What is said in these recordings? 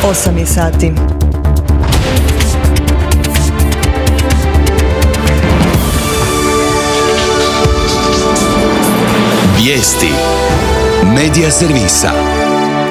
8 je sati. Vijesti Medija servisa.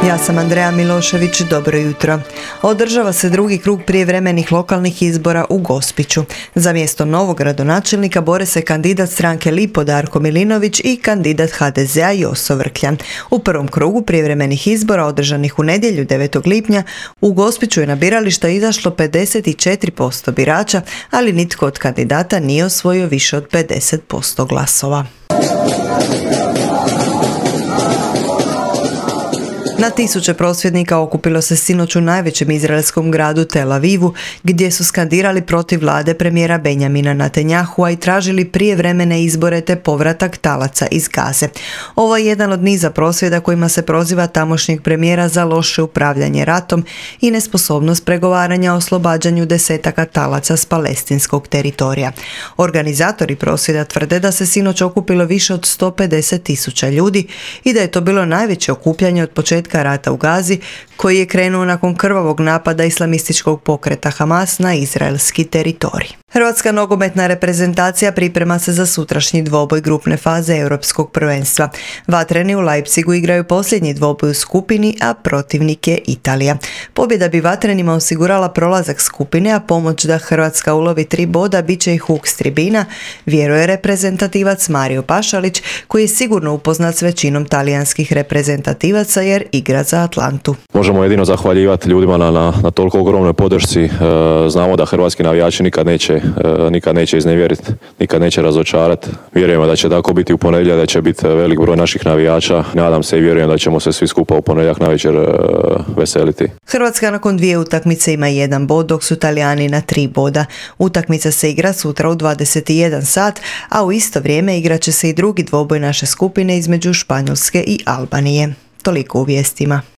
Ja sam Andreja Milošević, dobro jutro. Održava se drugi krug prijevremenih lokalnih izbora u Gospiću. Za mjesto novog gradonačelnika bore se kandidat stranke Lipo Darko Milinović i kandidat HDZ-a Joso Vrkljan. U prvom krugu prijevremenih izbora održanih u nedjelju 9. lipnja u Gospiću je na birališta izašlo 54% birača, ali nitko od kandidata nije osvojio više od 50% glasova. Na tisuće prosvjednika okupilo se sinoć u najvećem izraelskom gradu Tel Avivu, gdje su skandirali protiv vlade premijera Benjamina Netanjahua i tražili prijevremene izbore te povratak talaca iz Gaze. Ovo je jedan od niza prosvjeda kojima se proziva tamošnjeg premijera za loše upravljanje ratom i nesposobnost pregovaranja o oslobađanju desetaka talaca s palestinskog teritorija. Organizatori prosvjeda tvrde da se sinoć okupilo više od 150.000 ljudi i da je to bilo najveće okupljanje od početka rata u Gazi, koji je krenuo nakon krvavog napada islamističkog pokreta Hamas na izraelski teritorij. Hrvatska nogometna reprezentacija priprema se za sutrašnji dvoboj grupne faze Europskog prvenstva. Vatreni u Leipzigu igraju posljednji dvoboj u skupini, a protivnik je Italija. Pobjeda bi Vatrenima osigurala prolazak skupine, a pomoć da Hrvatska ulovi 3 boda bit će i huk s tribina, vjeruje reprezentativac Mario Pašalić, koji je sigurno upoznat s većinom talijanskih reprezentativaca jer igra za Atlantu. Možemo jedino zahvaljivati ljudima na toliko ogromnoj podršci. Znamo da hrvatski navijači nikad neće iznevjeriti, nikad neće razočarati. Vjerujemo da će tako biti u ponedjeljak, da će biti velik broj naših navijača. Nadam se i vjerujem da ćemo se svi skupa u ponedjeljak navečer veseliti. Hrvatska nakon 2 utakmice ima 1 bod, dok su Talijani na 3 boda. Utakmica se igra sutra u 21 sat, a u isto vrijeme igrat će se i drugi dvoboj naše skupine između Španjolske i Albanije. Toliko u vijestima.